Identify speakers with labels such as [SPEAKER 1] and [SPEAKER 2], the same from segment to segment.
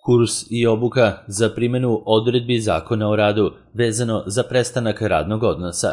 [SPEAKER 1] Kurs i obuka za primjenu odredbi Zakona o radu vezano za prestanak radnog odnosa.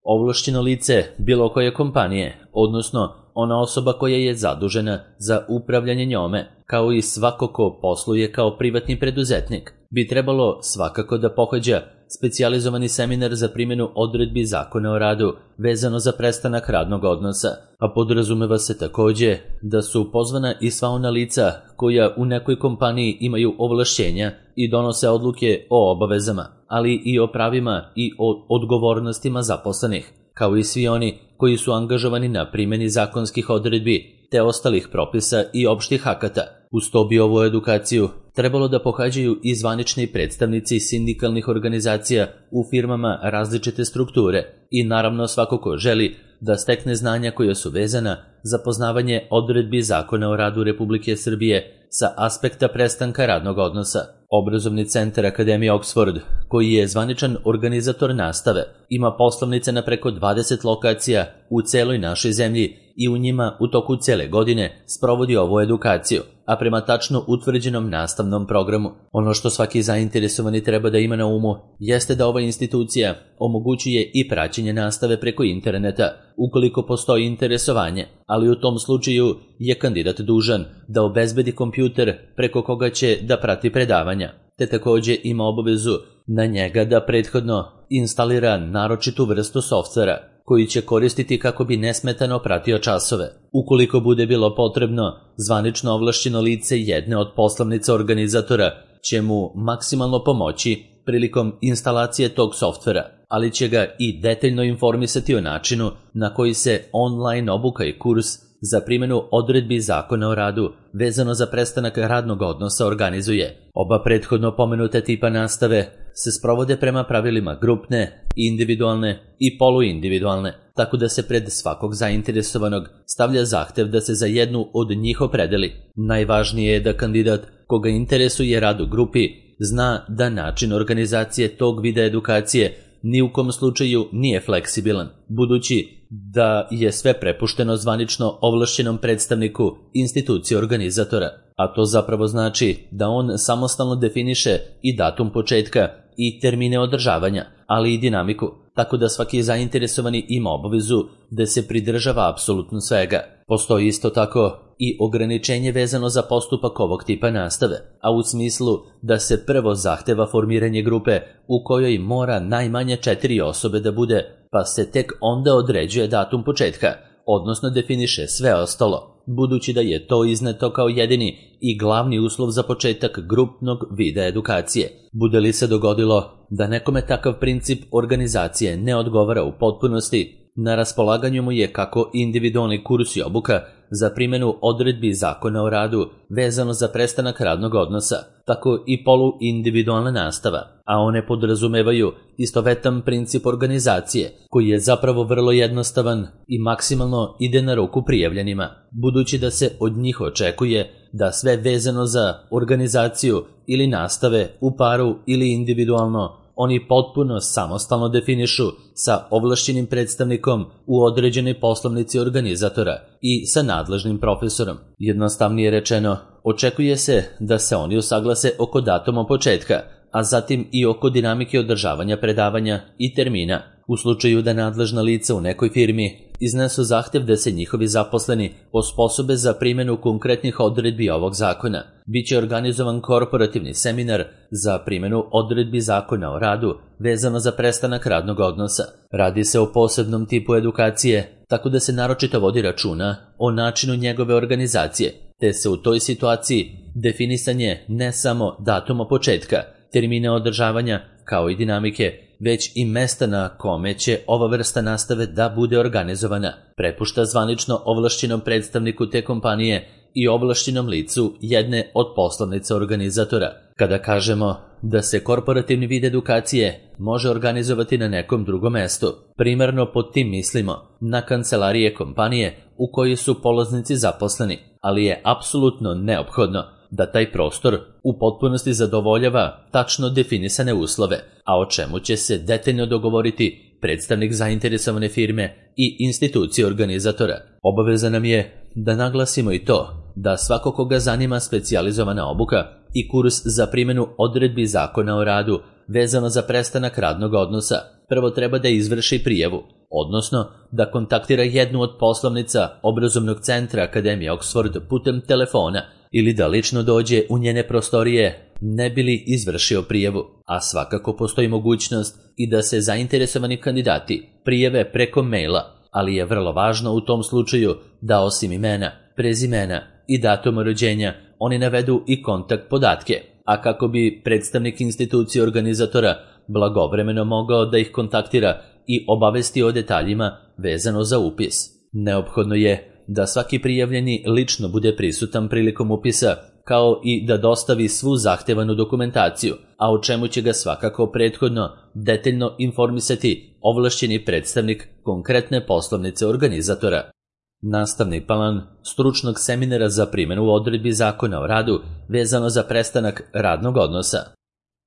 [SPEAKER 1] Ovlašćeno lice bilo koje kompanije, odnosno ona osoba koja je zadužena za upravljanje njome, kao i svako ko posluje kao privatni preduzetnik, bi trebalo svakako da pohađa specijalizovani seminar za primjenu odredbi Zakona o radu vezano za prestanak radnog odnosa, a podrazumeva se takođe da su pozvana i sva ona lica koja u nekoj kompaniji imaju ovlašćenja i donose odluke o obavezama, ali i o pravima i o odgovornostima zaposlenih, kao i svi oni koji su angažovani na primjeni zakonskih odredbi te ostalih propisa i opštih akata. Uz to bi ovu edukaciju trebalo da pohađaju i zvanični predstavnici sindikalnih organizacija u firmama različite strukture i naravno svako ko želi da stekne znanja koja su vezana za poznavanje odredbi Zakona o radu Republike Srbije sa aspekta prestanka radnog odnosa. Obrazovni centar Akademije Oxford, koji je zvaničan organizator nastave, ima poslovnice na preko 20 lokacija u celoj našoj zemlji i u njima u toku cele godine sprovodi ovu edukaciju, a prema tačno utvrđenom nastavnom programu. Ono što svaki zainteresovani treba da ima na umu jeste da ova institucija omogućuje i praćenje nastave preko interneta ukoliko postoji interesovanje, ali u tom slučaju je kandidat dužan da obezbedi kompjuter preko koga će da prati predavanja, te takođe ima obavezu na njega da prethodno instalira naročitu vrstu softvera koji će koristiti kako bi nesmetano pratio časove. Ukoliko bude bilo potrebno, zvanično ovlašćeno lice jedne od poslovnica organizatora će mu maksimalno pomoći prilikom instalacije tog softvera, ali će ga i detaljno informisati o načinu na koji se online obuka i kurs za primjenu odredbi Zakona o radu vezano za prestanak radnog odnosa organizuje. Oba prethodno pomenute tipa nastave se sprovode prema pravilima grupne, individualne i poluindividualne, tako da se pred svakog zainteresovanog stavlja zahtev da se za jednu od njih opredeli. Najvažnije je da kandidat koga interesuje rad u grupi zna da način organizacije tog vida edukacije ni u kom slučaju nije fleksibilan, budući da je sve prepušteno zvanično ovlašćenom predstavniku institucije organizatora, a to zapravo znači da on samostalno definiše i datum početka i termine održavanja, ali i dinamiku, tako da svaki zainteresovani ima obavezu da se pridržava apsolutno svega. Postoji isto tako i ograničenje vezano za postupak ovog tipa nastave, a u smislu da se prvo zahteva formiranje grupe u kojoj mora najmanje 4 osobe da bude, pa se tek onda određuje datum početka, odnosno definiše sve ostalo, budući da je to izneto kao jedini i glavni uslov za početak grupnog vida edukacije. Bude li se dogodilo da nekome takav princip organizacije ne odgovara u potpunosti, na raspolaganju mu je kako individualni kurs i obuka za primjenu odredbi Zakona o radu vezano za prestanak radnog odnosa, tako i poluindividualna nastava, a one podrazumevaju istovetan princip organizacije, koji je zapravo vrlo jednostavan i maksimalno ide na ruku prijavljenima, budući da se od njih očekuje da sve vezano za organizaciju ili nastave u paru ili individualno oni potpuno samostalno definišu sa ovlašćenim predstavnikom u određenoj poslovnici organizatora i sa nadležnim profesorom. Jednostavnije rečeno, očekuje se da se oni usaglase oko datuma početka, a zatim i oko dinamike održavanja predavanja i termina. U slučaju da nadležna lica u nekoj firmi iznesu zahtev da se njihovi zaposleni osposobe za primjenu konkretnih odredbi ovog zakona, biće organizovan korporativni seminar za primjenu odredbi Zakona o radu vezano za prestanak radnog odnosa. Radi se o posebnom tipu edukacije, tako da se naročito vodi računa o načinu njegove organizacije, te se u toj situaciji definisanje ne samo datuma početka, termine održavanja kao i dinamike, već i mesta na kome će ova vrsta nastave da bude organizovana, prepušta zvanično ovlašćenom predstavniku te kompanije i ovlašćenom licu jedne od poslovnica organizatora. Kada kažemo da se korporativni vid edukacije može organizovati na nekom drugom mestu, primarno pod tim mislimo na kancelarije kompanije u kojoj su polaznici zaposleni, ali je apsolutno neophodno da taj prostor u potpunosti zadovoljava tačno definisane uslove, a o čemu će se detaljno dogovoriti predstavnik zainteresovane firme i institucije organizatora. Obaveza nam je da naglasimo i to da svako koga zanima specijalizovana obuka i kurs za primjenu odredbi Zakona o radu vezano za prestanak radnog odnosa, prvo treba da izvrši prijavu, odnosno da kontaktira jednu od poslovnica obrazovnog centra Akademije Oxford putem telefona ili da lično dođe u njene prostorije ne bi li izvršio prijavu, a svakako postoji mogućnost i da se zainteresovani kandidati prijave preko maila, ali je vrlo važno u tom slučaju da osim imena, prezimena i datuma rođenja oni navedu i kontakt podatke, a kako bi predstavnik institucije organizatora blagovremeno mogao da ih kontaktira i obavesti o detaljima vezano za upis. Neophodno je da svaki prijavljeni lično bude prisutan prilikom upisa, kao i da dostavi svu zahtevanu dokumentaciju, a o čemu će ga svakako prethodno detaljno informisati ovlašćeni predstavnik konkretne poslovnice organizatora. Nastavni plan stručnog seminara za primjenu odredbi Zakona o radu vezano za prestanak radnog odnosa.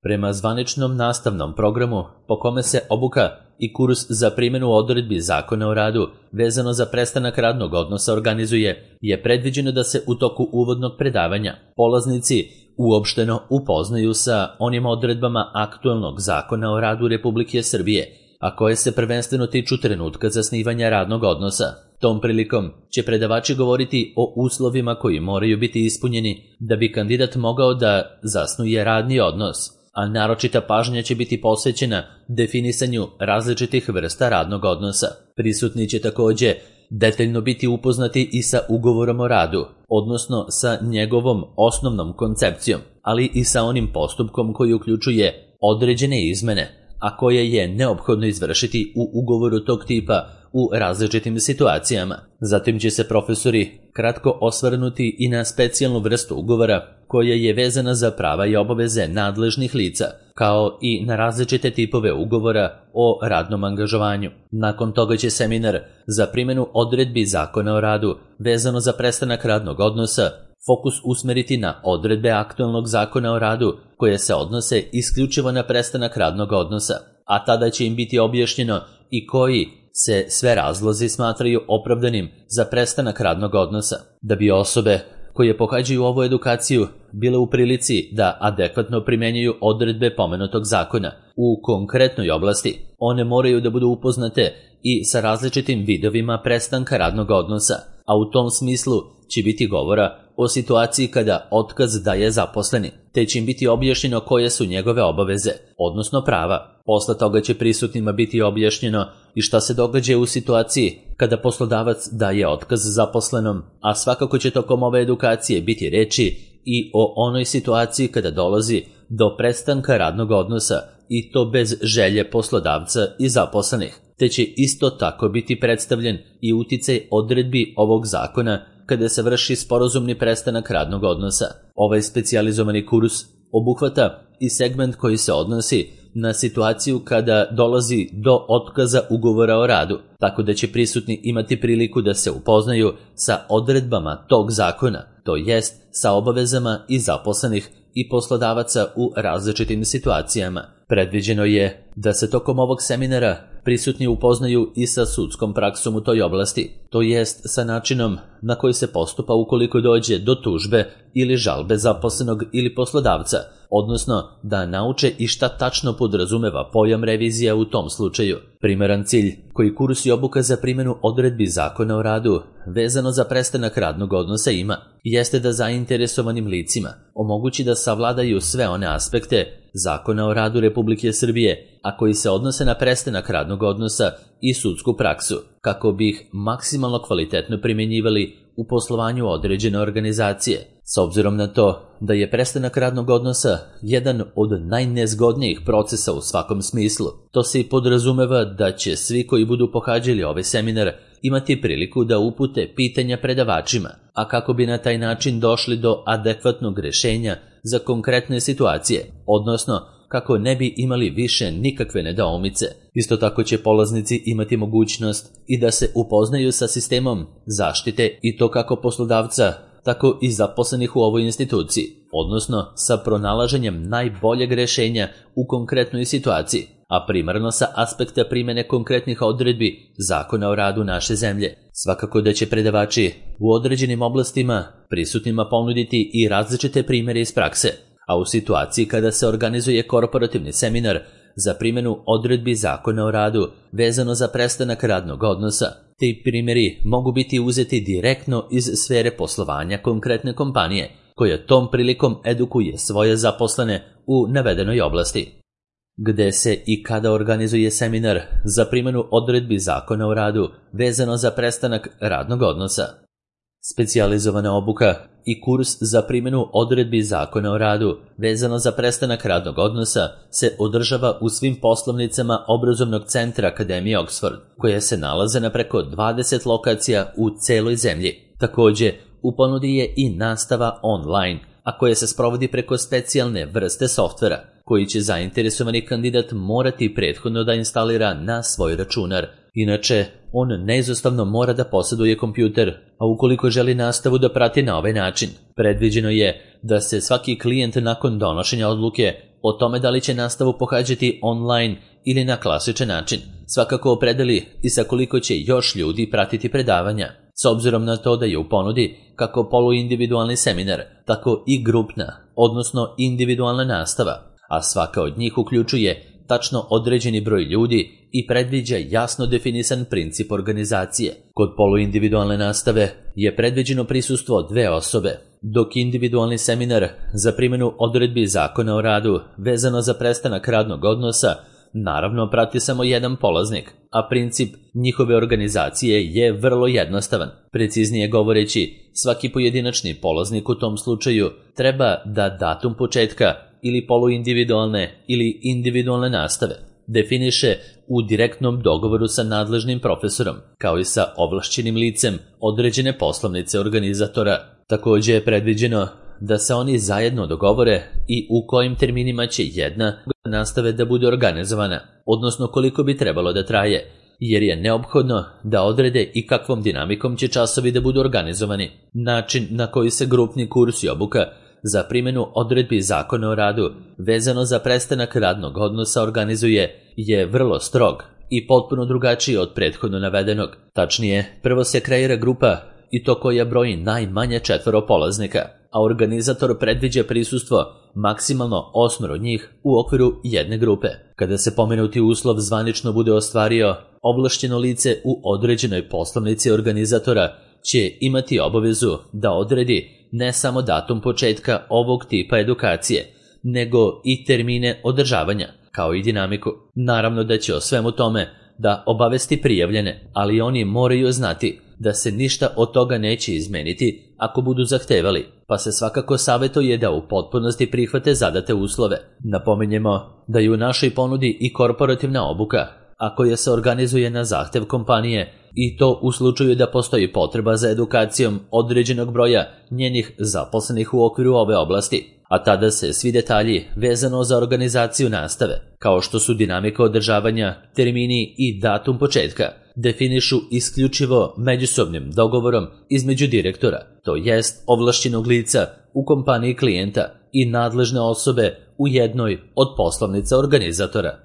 [SPEAKER 1] Prema zvaničnom nastavnom programu po kome se obuka i kurs za primjenu odredbi Zakona o radu vezano za prestanak radnog odnosa organizuje, je predviđeno da se u toku uvodnog predavanja polaznici uopšteno upoznaju sa onim odredbama aktualnog Zakona o radu Republike Srbije, a koje se prvenstveno tiču trenutka zasnivanja radnog odnosa. Tom prilikom će predavači govoriti o uslovima koji moraju biti ispunjeni da bi kandidat mogao da zasnuje radni odnos, a naročita pažnja će biti posvećena definisanju različitih vrsta radnog odnosa. Prisutni će takođe detaljno biti upoznati i sa ugovorom o radu, odnosno sa njegovom osnovnom koncepcijom, ali i sa onim postupkom koji uključuje određene izmene, a koje je neophodno izvršiti u ugovoru tog tipa u različitim situacijama. Zatim će se profesori kratko osvrnuti i na specijalnu vrstu ugovora koja je vezana za prava i obaveze nadležnih lica, kao i na različite tipove ugovora o radnom angažovanju. Nakon toga će seminar za primjenu odredbi Zakona o radu vezano za prestanak radnog odnosa fokus usmeriti na odredbe aktualnog Zakona o radu koje se odnose isključivo na prestanak radnog odnosa, a tada će im biti objašnjeno i koji se sve razlozi smatraju opravdanim za prestanak radnog odnosa. Da bi osobe koje pohađaju ovu edukaciju bile u prilici da adekvatno primenjuju odredbe pomenutog zakona u konkretnoj oblasti, one moraju da budu upoznate i sa različitim vidovima prestanka radnog odnosa, a u tom smislu će biti govora o situaciji kada otkaz daje zaposleni, te će im biti objašnjeno koje su njegove obaveze, odnosno prava. Posle toga će prisutnima biti objašnjeno i šta se događa u situaciji kada poslodavac daje otkaz zaposlenom, a svakako će tokom ove edukacije biti reči i o onoj situaciji kada dolazi do prestanka radnog odnosa i to bez želje poslodavca i zaposlenih, te će isto tako biti predstavljen i uticaj odredbi ovog zakona kada se vrši sporazumni prestanak radnog odnosa. Ovaj specijalizovani kurs obuhvata i segment koji se odnosi na situaciju kada dolazi do otkaza ugovora o radu, tako da će prisutni imati priliku da se upoznaju sa odredbama tog zakona, to jest sa obavezama i zaposlenih i poslodavaca u različitim situacijama. Predviđeno je da se tokom ovog seminara prisutni upoznaju i sa sudskom praksom u toj oblasti, to jest sa načinom na koji se postupa ukoliko dođe do tužbe ili žalbe zaposlenog ili poslodavca, odnosno da nauče i šta tačno podrazumeva pojam revizija u tom slučaju. Primeran cilj koji kurs i obuka za primjenu odredbi Zakona o radu vezano za prestanak radnog odnosa ima, jeste da zainteresovanim licima omogući da savladaju sve one aspekte Zakona o radu Republike Srbije, a koji se odnose na prestanak radnog odnosa i sudsku praksu, kako bi ih maksimalno kvalitetno primjenjivali u poslovanju određene organizacije. S obzirom na to da je prestanak radnog odnosa jedan od najnezgodnijih procesa u svakom smislu, to se i podrazumeva da će svi koji budu pohađali ovaj seminar imati priliku da upute pitanja predavačima, a kako bi na taj način došli do adekvatnog rešenja za konkretne situacije, odnosno kako ne bi imali više nikakve nedoumice. Isto tako će polaznici imati mogućnost i da se upoznaju sa sistemom zaštite i to kako poslodavca, tako i zaposlenih u ovoj instituciji, odnosno sa pronalaženjem najboljeg rešenja u konkretnoj situaciji, a primarno sa aspekta primjene konkretnih odredbi Zakona o radu naše zemlje. Svakako da će predavači u određenim oblastima prisutnima ponuditi i različite primjere iz prakse, a u situaciji kada se organizuje korporativni seminar za primjenu odredbi Zakona o radu vezano za prestanak radnog odnosa, ti primjeri mogu biti uzeti direktno iz sfere poslovanja konkretne kompanije, koja tom prilikom edukuje svoje zaposlene u navedenoj oblasti. Gde se i kada organizuje seminar za primjenu odredbi Zakona o radu vezano za prestanak radnog odnosa. Specijalizovana obuka i kurs za primjenu odredbi Zakona o radu vezano za prestanak radnog odnosa se održava u svim poslovnicama obrazovnog centra Akademije Oxford, koje se nalaze na preko 20 lokacija u celoj zemlji. Takođe, u ponudi je i nastava online, a koja se sprovodi preko specijalne vrste softvera, koji će zainteresovani kandidat morati prethodno da instalira na svoj računar. Inače, on neizostavno mora da posjeduje kompjuter, a ukoliko želi nastavu da prati na ovaj način, predviđeno je da se svaki klijent nakon donošenja odluke o tome da li će nastavu pohađati online ili na klasičan način svakako opredeli i sa koliko će još ljudi pratiti predavanja, s obzirom na to da je u ponudi kako poluindividualni seminar, tako i grupna, odnosno individualna nastava, a svaka od njih uključuje tačno određeni broj ljudi i predviđa jasno definisan princip organizacije. Kod poluindividualne nastave je predviđeno prisustvo 2 osobe, dok individualni seminar za primjenu odredbi Zakona o radu vezano za prestanak radnog odnosa naravno prati samo jedan polaznik, a princip njihove organizacije je vrlo jednostavan. Preciznije govoreći, svaki pojedinačni polaznik u tom slučaju treba da datum početka ili poluindividualne ili individualne nastave definiše u direktnom dogovoru sa nadležnim profesorom, kao i sa ovlašćenim licem određene poslovnice organizatora. Takođe je predviđeno da se oni zajedno dogovore i u kojim terminima će jedna nastave da bude organizovana, odnosno koliko bi trebalo da traje, jer je neophodno da odrede i kakvom dinamikom će časovi da budu organizovani. Način na koji se grupni kurs i obuka za primjenu odredbi Zakona o radu vezano za prestanak radnog odnosa organizuje je vrlo strog i potpuno drugačiji od prethodno navedenog. Tačnije, prvo se kreira grupa i to koja broji najmanje 4 polaznika, a organizator predviđa prisustvo maksimalno 8 njih u okviru jedne grupe. Kada se pomenuti uslov zvanično bude ostvario, ovlašćeno lice u određenoj poslovnici organizatora će imati obavezu da odredi ne samo datum početka ovog tipa edukacije, nego i termine održavanja, kao i dinamiku. Naravno da će o svemu tome da obavesti prijavljene, ali oni moraju znati da se ništa od toga neće izmeniti ako budu zahtevali, pa se svakako savjetuje da u potpunosti prihvate zadate uslove. Napominjemo da je u našoj ponudi i korporativna obuka, a koja se organizuje na zahtev kompanije, i to u slučaju da postoji potreba za edukacijom određenog broja njenih zaposlenih u okviru ove oblasti, a tada se svi detalji vezano za organizaciju nastave, kao što su dinamika održavanja, termini i datum početka, definišu isključivo međusobnim dogovorom između direktora, to jest ovlašćenog lica u kompaniji klijenta i nadležne osobe u jednoj od poslovnica organizatora.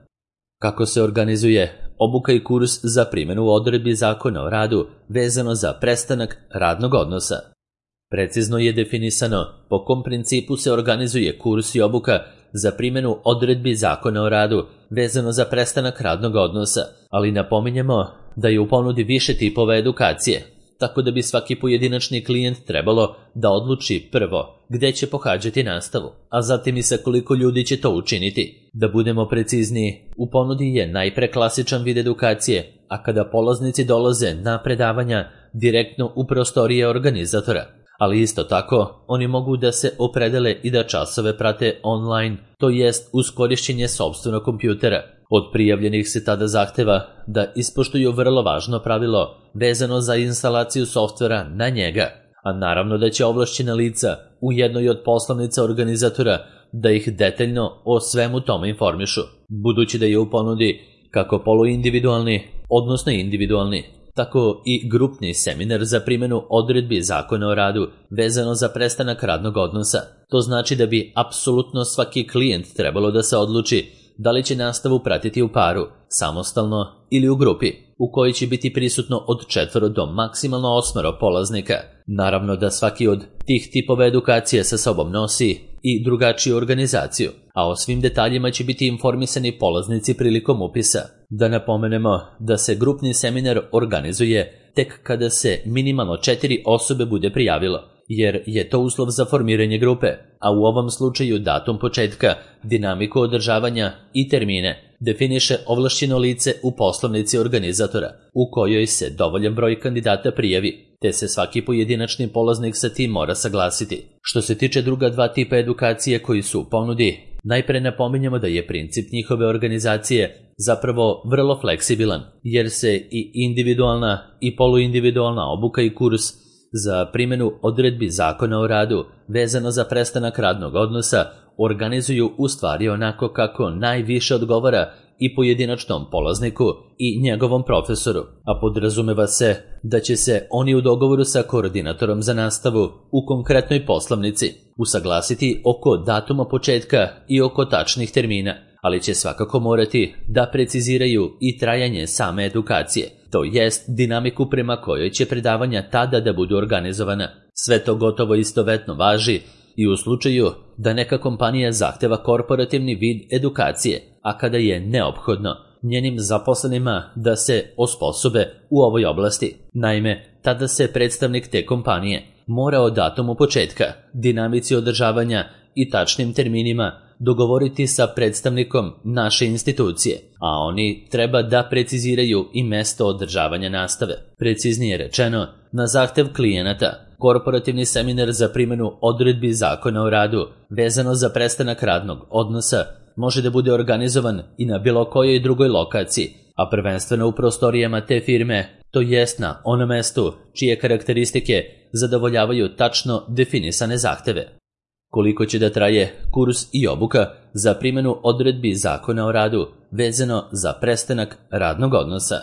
[SPEAKER 1] Kako se organizuje obuka i kurs za primjenu odredbi Zakona o radu vezano za prestanak radnog odnosa? Precizno je definisano po kom principu se organizuje kurs i obuka za primjenu odredbi Zakona o radu vezano za prestanak radnog odnosa, ali napominjemo da je u ponudi više tipova edukacije, tako da bi svaki pojedinačni klijent trebalo da odluči prvo gde će pohađati nastavu, a zatim i sa koliko ljudi će to učiniti. Da budemo precizniji, u ponudi je najpre klasičan vid edukacije, a kada polaznici dolaze na predavanja direktno u prostorije organizatora, ali isto tako oni mogu da se opredele i da časove prate online, to jest uz korišćenje sopstvenog kompjutera. Od prijavljenih se tada zahteva da ispoštuju vrlo važno pravilo vezano za instalaciju softvera na njega, a naravno da će ovlašćena lica u jednoj od poslovnica organizatora da ih detaljno o svemu tome informišu. Budući da je u ponudi kako poluindividualni, odnosno individualni, tako i grupni seminar za primjenu odredbi Zakona o radu vezano za prestanak radnog odnosa. To znači da bi apsolutno svaki klijent trebalo da se odluči da li će nastavu pratiti u paru, samostalno ili u grupi, u kojoj će biti prisutno od 4 do maksimalno 8 polaznika. Naravno da svaki od tih tipova edukacije sa sobom nosi i drugačiju organizaciju, a o svim detaljima će biti informisani polaznici prilikom upisa. Da napomenemo da se grupni seminar organizuje tek kada se minimalno 4 osobe bude prijavilo, jer je to uslov za formiranje grupe, a u ovom slučaju datum početka, dinamiku održavanja i termine definiše ovlašćeno lice u poslovnici organizatora, u kojoj se dovoljan broj kandidata prijavi, te se svaki pojedinačni polaznik sa tim mora saglasiti. Što se tiče druga 2 tipa edukacije koji su u ponudi, najpre napominjemo da je princip njihove organizacije zapravo vrlo fleksibilan, jer se i individualna i poluindividualna obuka i kurs za primjenu odredbi Zakona o radu vezano za prestanak radnog odnosa organizuju u stvari onako kako najviše odgovara i pojedinačnom polazniku i njegovom profesoru, a podrazumeva se da će se oni u dogovoru sa koordinatorom za nastavu u konkretnoj poslovnici usaglasiti oko datuma početka i oko tačnih termina, ali će svakako morati da preciziraju i trajanje same edukacije, to jest dinamiku prema kojoj će predavanja tada da budu organizovana. Sve to gotovo istovetno važi i u slučaju da neka kompanija zahteva korporativni vid edukacije, a kada je neophodno njenim zaposlenima da se osposobe u ovoj oblasti. Naime, tada se predstavnik te kompanije mora o datumu početka, dinamici održavanja i tačnim terminima dogovoriti sa predstavnikom naše institucije, a oni treba da preciziraju i mesto održavanja nastave. Preciznije rečeno, na zahtev klijenata, korporativni seminar za primjenu odredbi Zakona o radu vezano za prestanak radnog odnosa može da bude organizovan i na bilo kojoj drugoj lokaciji, a prvenstveno u prostorijama te firme, to jest na onom mestu čije karakteristike zadovoljavaju tačno definisane zahteve. Koliko će da traje kurs i obuka za primjenu odredbi Zakona o radu vezano za prestanak radnog odnosa?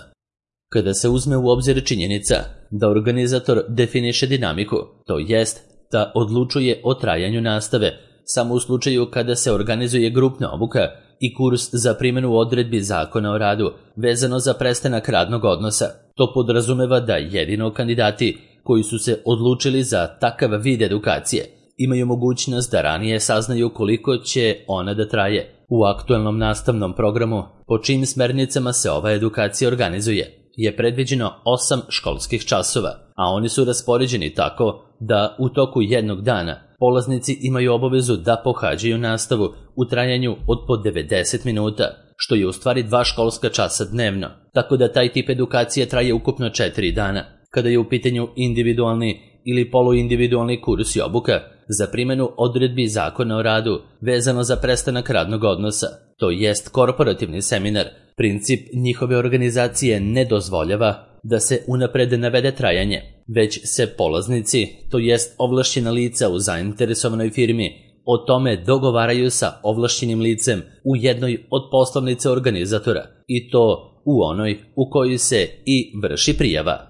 [SPEAKER 1] Kada se uzme u obzir činjenica da organizator definiše dinamiku, to jest da odlučuje o trajanju nastave samo u slučaju kada se organizuje grupna obuka i kurs za primjenu odredbi Zakona o radu vezano za prestanak radnog odnosa, to podrazumeva da jedino kandidati koji su se odlučili za takav vid edukacije imaju mogućnost da ranije saznaju koliko će ona da traje. U aktualnom nastavnom programu, po čijim smernicama se ova edukacija organizuje, je predviđeno 8 školskih časova, a oni su raspoređeni tako da u toku jednog dana polaznici imaju obavezu da pohađaju nastavu u trajanju od po 90 minuta, što je u stvari 2 školska časa dnevno, tako da taj tip edukacije traje ukupno 4 dana. Kada je u pitanju individualni ili poluindividualni kurs i obuka za primjenu odredbi Zakona o radu vezano za prestanak radnog odnosa, to jest korporativni seminar, princip njihove organizacije ne dozvoljava da se unapred navede trajanje, već se polaznici, to jest ovlašćena lica u zainteresovanoj firmi, o tome dogovaraju sa ovlašćenim licem u jednoj od poslovnice organizatora, i to u onoj u kojoj se i vrši prijava.